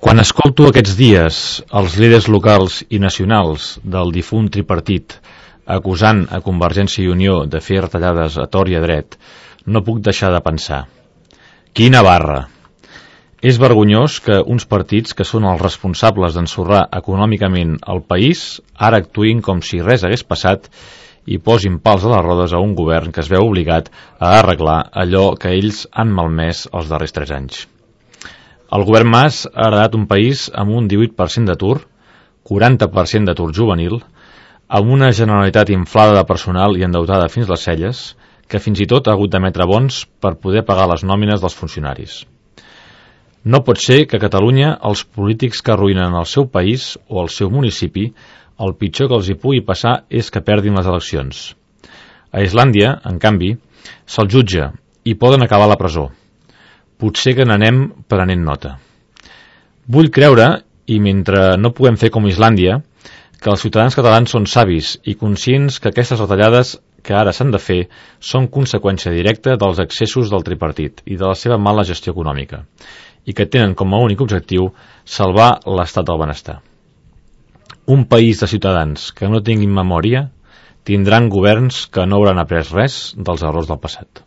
Quan escolto aquests dies els líders locals i nacionals del difunt tripartit acusant a Convergència i Unió de fer retallades a tort i a dret, no puc deixar de pensar: quina barra! És vergonyós que uns partits que són els responsables d'ensorrar econòmicament el país ara actuïn com si res hagués passat i posin pals a les rodes a un govern que es veu obligat a arreglar allò que ells han malmès els darrers 3 anys. El govern Mas ha heredat un país amb un 18% d'atur, 40% d'atur juvenil, amb una Generalitat inflada de personal i endeutada fins les celles, que fins i tot ha hagut d'emetre bons per poder pagar les nòmines dels funcionaris. No pot ser que a Catalunya els polítics que arruïnen el seu país o el seu municipi, el pitjor que els hi pugui passar és que perdin les eleccions. A Islàndia, en canvi, se'l jutja i poden acabar a la presó. Potser que n'anem prenent nota. Vull creure, i mentre no puguem fer com Islàndia, que els ciutadans catalans són savis i conscients que aquestes retallades que ara s'han de fer són conseqüència directa dels excessos del tripartit i de la seva mala gestió econòmica, i que tenen com a únic objectiu salvar l'estat del benestar. Un país de ciutadans que no tinguin memòria tindran governs que no hauran après res dels errors del passat.